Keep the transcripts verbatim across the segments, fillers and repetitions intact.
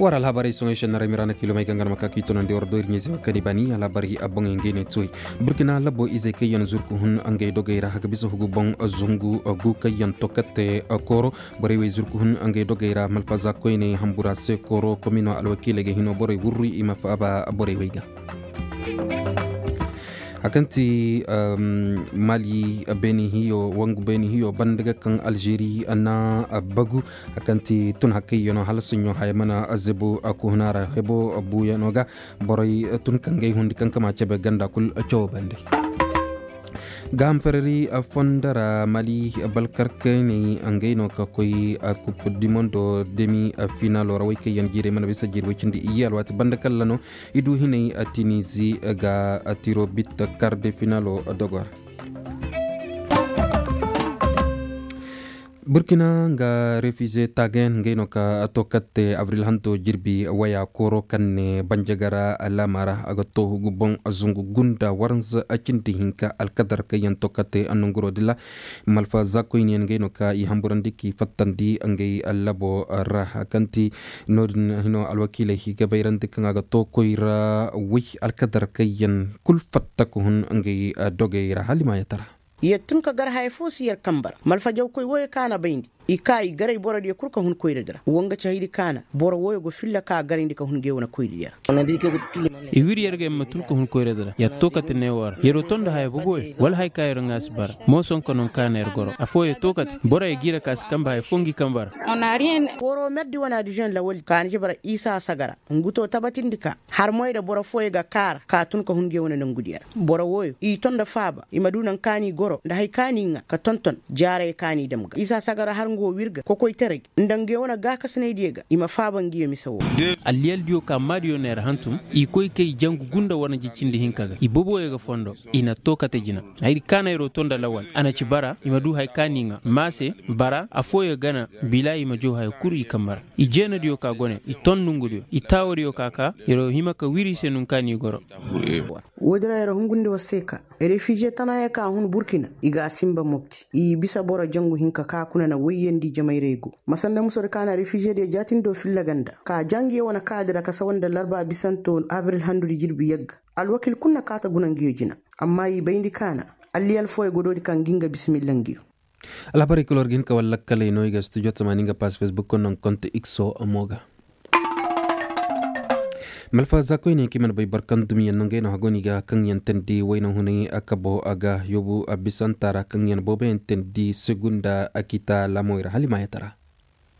War alhabarey soŋoy senna ra mira na kiilomey gangar ma ka ka i tunandi war do ir ɲeese ma kani bani alhabarey a boŋey ngey ne tuwey. Burkina labo izey kaŋ yaŋ zurku hun ngey dogey ra a ga bisa hugu boŋ zungu gu kaŋ yaŋ tokate kooro. Borey wey zurku hun ngey dogey ra malfaza koyney hambura se kooro komino alwakiiley ga hino borey wurru i ma faaba borey wey ga. A kaŋ ti mali beeni hiyo wangu beeni hiyo banda ga kaŋ alžeri na bagu. A kaŋ ti tun hakkayyanoo hala saɲɲo haya mana zebu kuhuna ra hebo buuyanoo ga. Borey tun kaŋ gay hundi kaŋ kama cebe ganda kul cawo bande. Gaaham farari fondo ra mali balkarkayney ngey no ka koy kupu dimondo demi finalo ra way kaŋ yaŋ jiirey mana bisa jiiri way cindi iyye alwaati banda kalla no. I du hinay tinizi ga tiro bit karde finalo dogo ra. Burkina nga refize tagen ngey no ka to katte abril hanto jirbi waya koro kaŋ ne banjagara laama ra a ga to hugu boŋ zungu gunda waranza cindi hinka alkadar kaŋ yaŋ to katte nonguro dilla. Malfa zakoyniyaŋ ngey no ka i hamburandi k'i fattandi ngey labo ra kaŋ ti noodin hino alwakiiley i ga bayrandi kaŋ a ga to koy ra way alkadar kaŋ yaŋ kul fatta ka hun ngey dogey ra hala i ma yatara. Yer tun ka gar haya fo si yer kambe ra malfajawkoy wooyo kaŋ a na bayndi. I ka i garay borodiyo kul ka hun koyradi ra wa nga ci haydi kaŋ a na boro wooyo go filla ka a garayndi ka hun ngey wane koyradiyo ra. I wiri yer ga yer ma tun ka hun koyradi ra yer to kate neewo ra yer wo tondi haya boboyo wala haya kaŋ yer ŋwa si bara. Mooson ka no kaŋ a na yer goro afooyo to kate boroyo g'i ra ka si kambe haya fo ngi kambe ra. Woro merdi wane adižen lawaldi ka a na ci bara isa sagara ngu to tabatindi ka har moy nda boro fooyo ga kaara ka tun ka hun ngey wane nongudiyo ra. Boro wooyo i to nda faaba i ma du naŋ kaŋ a n'i goro nda haya kaŋ a n'i ŋwa ka tonton jaarey kaŋ a n'i dam ga isa sagara har nga wo w'ir ga kokoytaray nda ngey wane gaakasinaydiyo ga i ma faaba ngiyo mise woo. Alliyaldiyo ka maadiyo na yer hantum i koy kay jangu gunda waranja cindi hinka ga i boboyo ga fondo. I na to kate jina hayadi kaŋ a na yer wo to nda lawal a na ci bara i ma du haya kaŋ a n'i ŋwa maase bara afooyo gana bila i ma jaw haya kul i kambe ra. I jeenadiyo ka gone i ton nongudiyo i taawadiyo ka ka yer wo hima ka wiri i se nunka n'i goro. Woodi ra yer hungundi war se ka refize tanaayo ka hun burkina i ga a sinba mopti i bisa boro jangu hinka ka kuna na wayyandi jamayray go. Masanda musodi ka na refizediyo jaatindo filla ganda ka ja ngiyo wane kaadi ra ka sawa nda larba bisanto abril handudi jirbi yagga. Alwakiil kul na kaata guna ngiyo jina. Amma i bayndi ka na alliyal fooyo go doodi ka ngi nga bisimilla ngiyo. Alhabarey kul war ga hin ka war lakkaley no i ga studio tamaani nga pass facebook konno nga konte ikso mo ga. Malfa za koyne kaŋ i mana bay boro kaŋ dumiyaŋ no ngey no hagoni ga kaŋ yaŋ teendi wayna hunay a kabo a ga yoobu a bisanta ra kaŋ yaŋ booboyaŋ teendi segunda a kita laamowey ra hala i maayatara.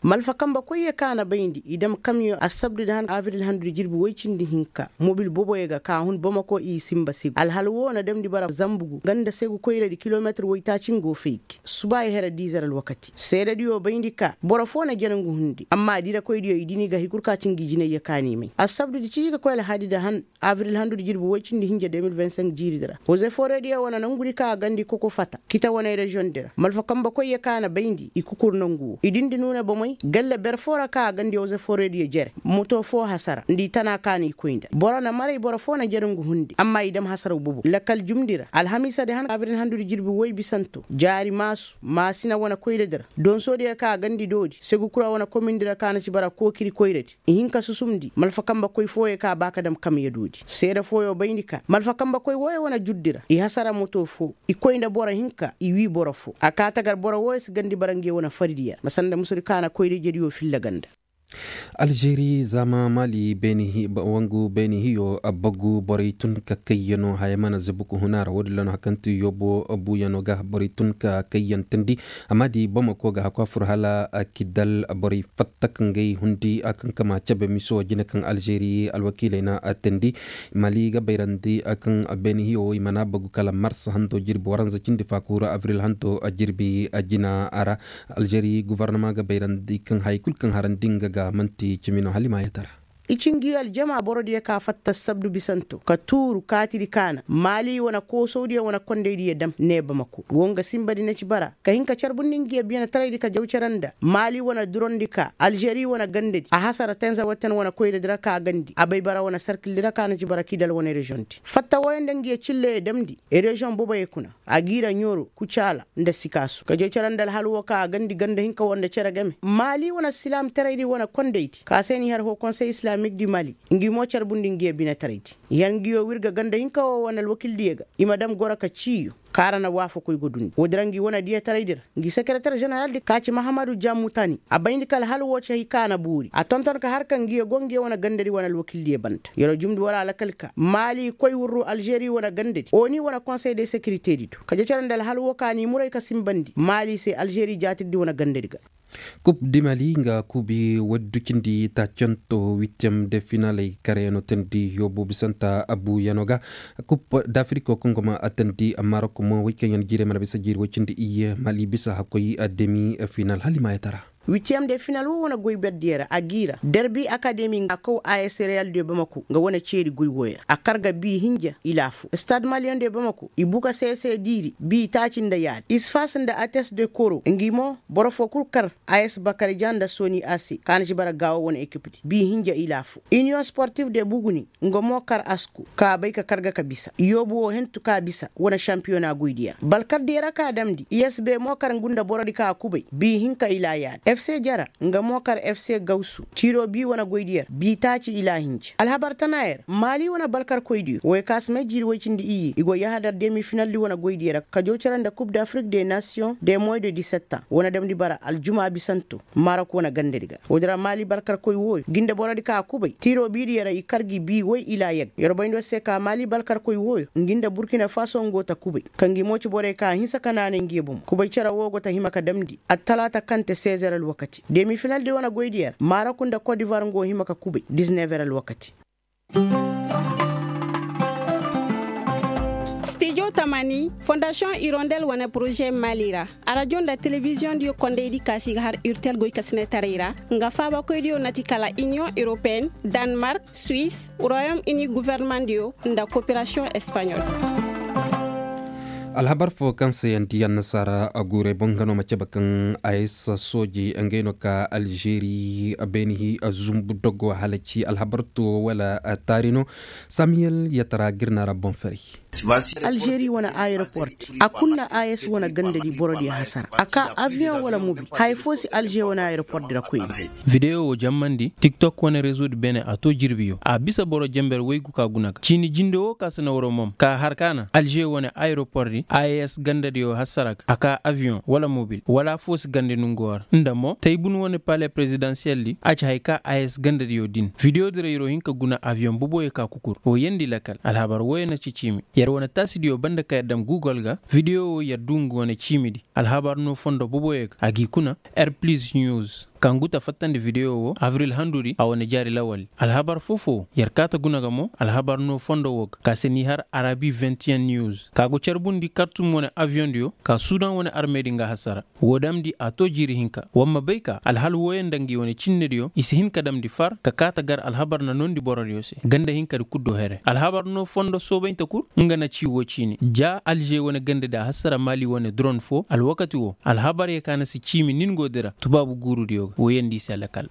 Malfa kambe koyyo kaŋ a na bayndi i dam kamyo assabdi nda han abril handudi jirbi woy cindi hinka mobil boboyo ga ka hun bomako i sinba segu alhala woo na damndi bara zambugu nga nda segu koyradi kilometir woytaaci nga wo fay ga. Subaayi here diizer alwakati seedadiyo bayndi ka boro foo na jere ngu hundi amma diirakoydiyo i dini ga hay kul ka ci ngi jinayyo kaani may assabdudi ciji ga koy alhadi nda han abril handudi jirbi woy cindi hinja de mil vingt cinq jiiridi ra hoze forediyo wane nangudi ka a gandi koko fata kita wane reziyoŋdi ra malfa kambe koyyo ka a na bayndi i kukur nangu wo i dindi nuuna bomey galle ber foo ra ka a gandi hoze forediyo jere moto foo hasara nda i tana ka na i koy nda boro na maray boro foo na jere ngu hundi amma i dam hasaraw bobo lakkal jumndi ra alhamiisadi han abril handudi jirbi woy bisanto jaari maasu maasina wane koyradi ra donsodiyo ka a gandi doodi segu kura wane komindi ra ka na ci bara kookiri koyradi i hin ka susumndi malfa kambe koy fooyo ka ba ka dam kamya doodi seeda fooyo bayndi ka malfa kambe koy wooyo wane jurdi ra i hasara moto foo i koy nda boro hinka i wii boro foo a kaa tagar boro wooyo si gandi bara nge wane faridiyo ra ma sanda musudi ka na koyrijediyo filla ganda. Alžeri zaama mali wangu beeni hiyo bagu borey tun ka kayyano haya mana zabuku huna ra woodin ra no hari kaŋ ti yoobo buuyano ga borey tun ka kayyan teendi. Amma di bamako ga hakwa fur hala kidal borey fatta ka ngey hundi a kaŋ kama cabe miso jine kaŋ alžeri alwakiiley na teendi. Mali ga bayrandi kaŋ beeni hiyo i mana bagu kala mars hanto jirbi waranza cindi faakura abril hanto jirbi jina ra. Alžeri govornama ga bayrandi kaŋ haya kul kaŋ harandi nga ga manti cimi no hala i ma yatara. I ci ngi aljama borodiyo ka fatta sabdu bisanto ka tuuru kaatidi kaana maali wane koosowdiyo wane kondaydiyo dam ne bamako wo nga sinbadi na ci bara ka hin ka carbundi ngiyo biyanataraydi ka jaw cara nda maali wane durondi ka alžeri wane gandadi a hasara tenzawaten wane koyradi ra ka gandi a bay bara wane sarkildi ra ka na ci bara kidal wane reziyoŋdi fatta wooyo nda ngiyo cilleyo damndi reziyoŋ boboyo kuna a g'i ra ɲooro kucaala nda sikaasu ka jaw cara nda alhal woo ka a gandi ganda hinka woo nda cere game maali wane silaamtaraydi wane kondaydi ka se n'i har hoo konsey islaamik di mali ngi mo carbundi ngiyo binetaraydi yer ngiyo wirga ganda hinka woo wane alwakildiyo ga i ma dam goro ka ciiyo kaŋ a ra na waafakoy go dundi woodi ra ngi wane diyataray di ra ngi sekereter ženeral di ka ci mahamadu jammutani a bayndi ka alhal woo ci hay kaŋ a na boori a tonton ka har ka ngiyo go ngiyo wane gandadi wane alwakildiyo banda yer wo jumndi war a lakal ka maali koy wurru alžeri wane gandadi oni wane konsey de sekirite di do ka jocere nda alhal woo ka n'i muray ka sinbandi maali se alžeri jaatirdi wane gandadi ga kub di mali nga kubi waddu cindi ta conto witiyam de finaley kareyaŋo tandi yoobu bisanta abu yaŋo ga kub dafiriko kaŋ go ma a tandi marok mo way kaŋ yaŋ jiirey mana bisa jiiri way cindi iyye mali bisa hakkoy demi final hala i maayatara witiyam de final wo wane goy berdiyo ra a g'i ra derbi akademi nga kaw a s real de bamako nga wane ceeri goy wooyo ra a kar ga bi hinja ilaa fo stad maliyaŋ de bamako i buka seese diiri bi taaci nda yaadi isfas nda ates de koro ngi mo boro foo kul kar a s bakar ja nda soni a se kaŋ a na ci bara gaawo wane ekipdi bi hinja ilaa fo iniyoŋ sportif de buguni nga mo kar asku ka bay ka kar ga ka bisa yoobu woo hentu ka bisa wane šampiyona goydiyo ra balkardiyo ra ka damndi i s b mo kar ngu nda borodi ka kubay bi hinka ilaa yaadi f c jara nga mo kar f c gawsu ciiroo bi wane goydiyo ra bi taaci ilaa hinja alhabar tana yer maali wane balkarkoydiyo wooyo ka si may jiiri woy cindi iyye i go yahadar demi finaldi wane goydiyo ra ka jaw cere nda kub dafrik de nasiyoŋ de moy de disettaŋ wane damndi bara aljuma bisanto marok wane gandadi ga woodi ra maali balkarkoy wooyo ngi nda borodi ka kubay tiiroo biidiyo ra i kar gi bii woy ilaa yagga yer bayndi war se ka maali balkarkoy wooyo ngi nda burkina faso ngo ta kubay ka ngi mo ci borey ka hinsa ka naanay ngiyo bomo kubay cere woo go ta hima ka damndi attalaata kaŋ te sezer alwakati demi finaldi wane goydiyo ra marok nda kodivar ngo hima ka kubay dizinever alwakati stijo tamani fondasiyoŋ irondel wane poroze mali ra arajo nda telebiziyoŋdiyo kondaydi ka si ga har urtel goykasinetaray ra nga faabakoydiyo na ti kala iniyoŋ europeen danmark suwis royom ini guvernemandiyo nda koperasiyoŋ espaɲol alhabar fo kaŋ se yaŋ di annasaara a guurey boŋ nga no ma cabe kaŋ a s sooji ngey no ka alžeri beeni zumbu dogo halaci alhabar to wala taari no samiyel yatara girna ra boŋ ferey alžeri wane ayeroport a kunna a s wane gandadi borodiyo hasara a ka aviyoŋ wala mobil haya fo si alžeri wane ayeroport di ra koyne videyo wo jammandi tiktok wane rezo di beene a to jirbiyo a bisa boro jember waygu ka guna ga ciini jinde wo ka si na waro mom ka har ka na alžeri wane ayeroport di a s gandadiyo hasara ga a ka aviyoŋ wala mobil wala fo si gande nungo ra nda mo taybun wane pale perezidansiyel di a ci hay ka a s gandadiyo din videyo di ra yer wo hin ka guna aviyoŋ boboyo ka kukur wo yeendi lakal alhabar wooyo na ci ciimi yer wane taasidiyo banda ka yer dam gugol ga videyo wo yer du nga wane ciimidi alhabar no fondo boboyo ga a g'i kuna air plis news ka ngu ta fattandi videyo wo abril handudi a wane jaari lawaldi alhabar foo-foo yer kaa ta guna ga mo alhabar no fondo wo ga ka se n'i har arabi vingt et un news ka go carbundi kartum wane aviyoŋdiyo ka sudan wane armedi nga hasara woo damndi a too jiiri hinka war ma bay ka alhal wooyo nda ngi wane cinnediyo i si hin ka damndi far ka kaa ta gar alhabar na noondi borodiyo se ganda hinkadi kul do here alhabar no fondo soobaynte kul nga na ci woo ciini ja alže wane gandadi a hasara maali wane duron foo alwakati woo alhabaryo ka na si ciimi ningoodi ra tubaabu guurudiyo ga wooyo nda i se lakal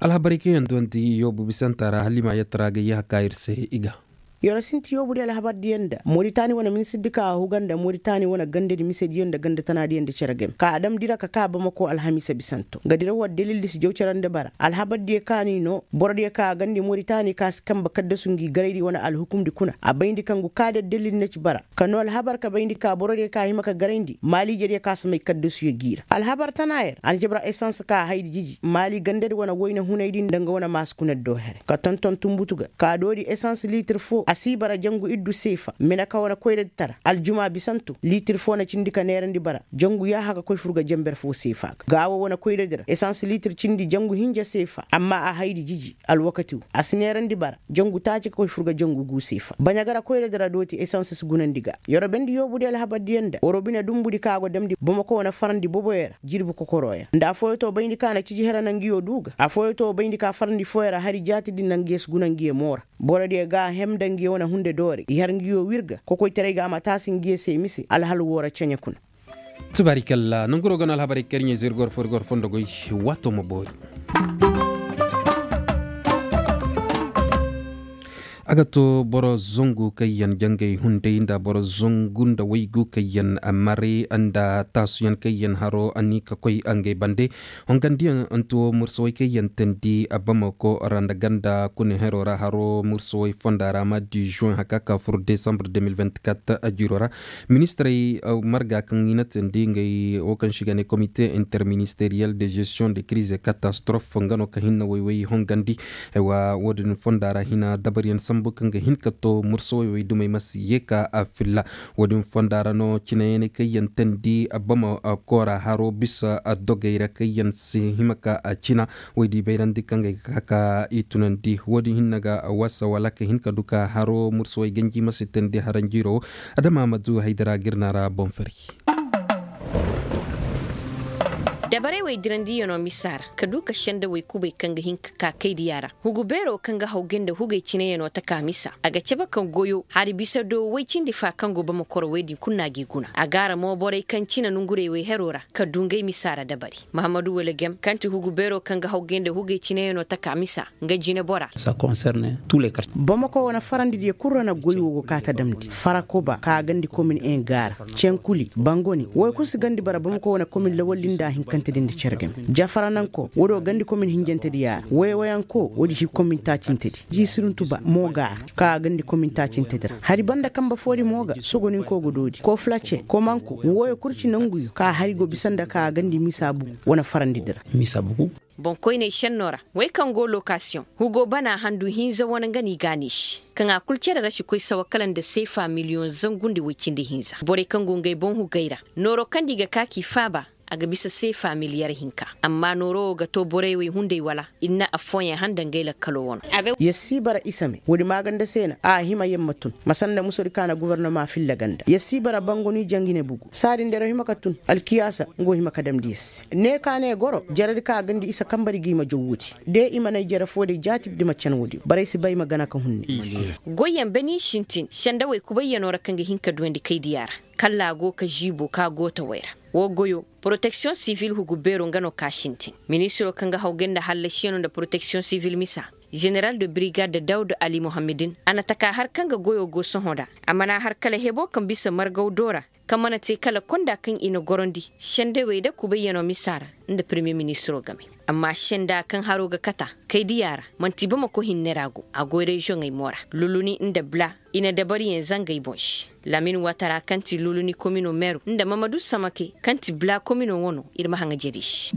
alhabarey kaŋ yaŋ duwanti yoobu bisanta ra hala i ma yatara ga yahaka ir se i ga yer sinti yoobu di alhabar diyaŋ nda moritani wane ministir di ka a huga nda moritani wane gandadi misediyaŋ nda ganda tana diyaŋ nda cere game ka a damndi ra ka ka bamako alhamiisa bisanto nga dira war dalildi si jaw cere nda bara alhabar diyaŋ ka ni no borodiyaŋ ka a gandi moritani ka si kambe kaddasu ngi garaydi wane alhukumdi kuna a bayndi ka ngu ka da dalildi na ci bara ka no alhabar ka bayndi ka borodiyaŋ ka hima ka garayndi maali ijediyaŋ ka si may kaddasuyo g'i ra alhabar tana yer a na jabra esans ka haydi jiji maali gandadi wane wayna hunaydi nda nga wane maasi kunadi do here ka tonton tunbutu ga ka doodi esans liitir foo A si bara jangu iddu seefa mena ka wane koyradi tara aljuma bisanto liitir foo na cindi ka neerandi bara jangu yaaha ga koy fur ga janber foo seefa ga gaa woo wane koyradi ra esans liitir cindi jangu hinja seefa amma a haydi jiji alwakati woo a si neerandi bara jangu taaci ka koy fur ga jangu guu seefa baɲa ga ra koyradi ra dooti esans si gunandi ga yer woo bendi yoobudi alhabardiyaŋ nda war woo bine dumbudi ka go damndi bamako wane farandi boboyo ra jirbi kokoroyo nda affooyo too bayndi ka na ciji here na nguyo duu ga affooyo too bayndi ka farandi fooyo ra hari jaatidi na nguyo si guna nguyo moo ra borodiyo ga a hem nda nguyo wane hunde doori i har nguyo wir ga kokoytaray ga a ma taasi nguyo se mise alhal woo ra ceɲe kuna. Tubaarikalla nonguroo ga no alhabarey kaŋ ir ɲaa zirgor foo ir gor fondo goy. Waatoo ma boori. A ga too boro zangu kaŋ yaŋ jangay hunday nda boro zangu nda waygu kaŋ yaŋ maray nda taasuyaŋ kaŋ yaŋ haro a ni ka koy ngey bande. Hongandiyaŋ nti woo mursawey kaŋ yaŋ teendi bamako ra nda ganda kune heroo ra haro mursawey fonda ra ma di juin haka ka fur desambre deux mille vingt-quatre. Jiiroo ra ministirey marga kaŋ i na teendi ngey woo kaŋ se i ga ne komite interministeriyel de gestion de kiriz et katastrof nga no ka hinna woy woy hongandi. Woo din fonda ra hina dabaryaŋ sambu kaŋ ga hin ka too mursawey woy dumey ma si yee ka filla. Woo din fonda ra no cineyaŋ kaŋ yaŋ teendi bama koora haro bisa dogey ra kaŋ yaŋ si hima ka cina. Woy di bayrandi kaŋ ga ay ga ka ka i tunandi woo din hinne ga wasa wala ka hin ka du ka haro mursawey ganji ma si teendi haranjiiroo woo. Adama ma du haydara ga ir na ra boŋ fari. Dabarey wey dirandiyanoo misa ra ka du ka sendawey kubay kaŋ ga hin ka ka kaydiya ra hugu beeroo kaŋ ga hawgay nda hugey cineyanoo taka misa a ga cabe ka goyoo hari bisa do woy cindi fa kaŋ go bama koro wey din kul na g'i guna a ga a ra mo borey kaŋ cine nongurey wey heroo ra ka du ngey misa ra dabari mahammadu wala gem kaŋ ti hugu beeroo kaŋ ga hawgay nda hugey cineyanoo taka misa nga jineboraa. Bamako wane farandidiyo kul ra na goy woo go kaa ta damndi farakoba ka gandi komin en gaara, cenkuli, bangoni woy kul si gandi bara bamako wane komin lawalli nda hinkantedi nda cere game. Jafaranankoo woodiyo gandi komin hinjantedi yaa ra woyowayankoo woodi si komin taacintedi jiisiruntuba mo gaara ka gandi komin taacintedi ra hari banda kanbe foodi mo ga sogoninkoo ga doodi koflace komanko wooyo kul ci nanguyo ka hari go bisa nda ka gandi misa bugu wane farandidi ra. Boŋkoyney šennoo ra wey kaŋ go lokasiyoŋ hugoo bana handu hinza wane nga no i gaanay se kaŋ a kul cere ra si koy sawa kala nda seefa miliyoŋ zangu nda woy cindi hinza borey kaŋ go ngey boŋ hugey ra nooroo kaŋ nda i ga ka k'i faaba. A ga bisa seefa miliyar hinka amma nooroo wo ga too borey wey hunday wala ir na affooyaŋ han nda ngey lakkaloo wano. Yer si bara isa me woodi maaganda se na a hima yer ma tun ma sanda musodi ka na gofornoma filla ganda yer si bara bangoni jangine bugu saadin da yer hima ka tun alkiyaasa nga wo hima ka damndi yer se ne ka ne goro jaradi ka gandi isa kambadi ga i ma jaw woodi de i ma nay jara foo day jaatidi ma can woodi barey si bay ma gana ka hunne. Goyyaŋ beni sintin sendawey kubayyanoo ra kaŋ ga hin ka duwandi kaydiya ra kallaa go ka ziiboo ka gootawey ra woo goyoo poroteksiyoŋ sivil hugu beeroo nga no ka sintin ministiroo kaŋ ga hawgay nda hallasiyanoo nda poroteksiyoŋ sivil misa, ženeral de birigad dawud ali muhammadin a na taka har kaŋ ga goyoo go sohõ nda a mana har kala heboo kaŋ bisa margaw doo ra kaŋ mana te kala konda kaŋ i na gorandi sendawey nda kubayyanoo misa ra nda permiye ministiroo game. Amma senda kaŋ haroo ga kata kaydiya ra man'ti bamako hinne ra go a goy reziyoŋey mo ra luluni nda bla i na dabariyaŋ zangey boŋ se. Lamin watara kaŋ ti luluni komino meru nda mamadu samake kaŋ ti bla komino wano ir ma haŋa jeri se.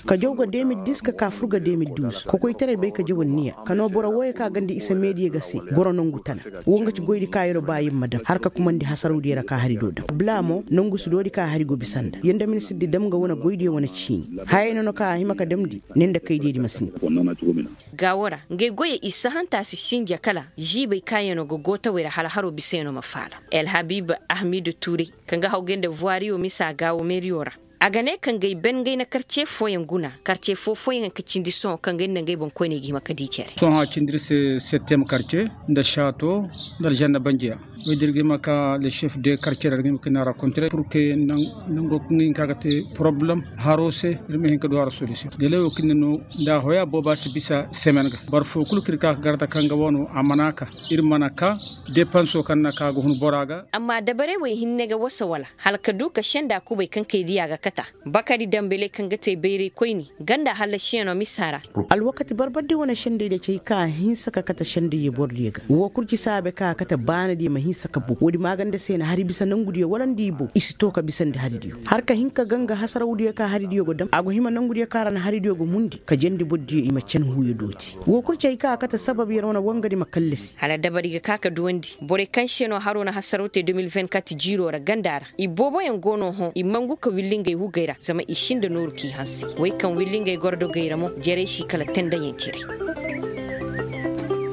Ka jaw ga de mil dis ka ka fur ga de mil duuz kokoytaray bay ka jawal niya ka noo boro wooyo ka ganda isa meediya ga se goro nongu tana. Wo nga ci goydi ka yer ba yer ma daŋ har ka kumandi hasarawdiyo ra ka hari do daŋ bla mo nongu si doodi ka hari go bisa nda yer nda ministirdi daŋ nga wane goydiyo wane ciini. Hayey no no ka a hima ka damndi ne nda kaydiyadi ma si ne. Gaawo ra ngey goyey i sahanta si sinja kala ziibey kaayanoo ga gootawey ra hala haroo bisayanoo ma faala. Elhabib ahmidu tuurey kaŋ ga hawgay nda vuwaariyo misa gaawo meeriyo ra. A ga ne kaŋ gay ben gay na karce fooyaŋ guna karce foo fooyaŋ ka cindi sohõ kaŋ gay nda ngey boŋkoyney ga hima ka dii cere. Sohõ a cindi ir se settem karce nda šaato nda alžanna banjiya. Woy da ir ga hima ka le šef de karce ra ir ga hima ka ir na rakontre pur ke nango kaŋ ga hin ka ga te poroblem haroo se ir ma hin ka du haro solisiyoŋ. Delai wo kaŋ ir na no nda a hoya booba si bisa semen ga boro foo kul kaŋ ir ka ka garda kaŋ ga wano a mana ka ir mana ka depansoo kaŋ na ka ga hun bora ga. Amma dabarey wey hinne ga wasa wala hala ka du ka senda kubay kaŋ kay diya ga. kata bakari dambeley kaŋ ga te bayray koyne ganda hallasiyaŋo misa ra. Alwakati barbardi wane sendey da cay ka hinsa ka kate sendey ye bordiyo ga woo kul ci saabe ka kate baanadiyo ma hinsa ka bow woodi maaganda se na hari bisa nongudiyo wala nda i bow i si to ka bisandi haridiyo. Har ka hin ka ganga hasarawdiyo ka haridiyo go dam a go hima nongudiyo ka ra na haridiyo go mundi ka jandi bordiyo i ma can huuyo dooti woo kul ci hay ka a kate sabab yer wane wangadi ma kallasi. Hala dabari ga ka ka duwandi borey kaŋ se no haro na hasaraw te deux mille vingt-quatre jiiro ra ganda ra i booboyaŋ go no hõ i mangu ka willi ngey hugey ra zama i sinda nooru k'i hanse. Wey kaŋ willi ngey gordogey ra mo jarey si kala tendayaŋ cere.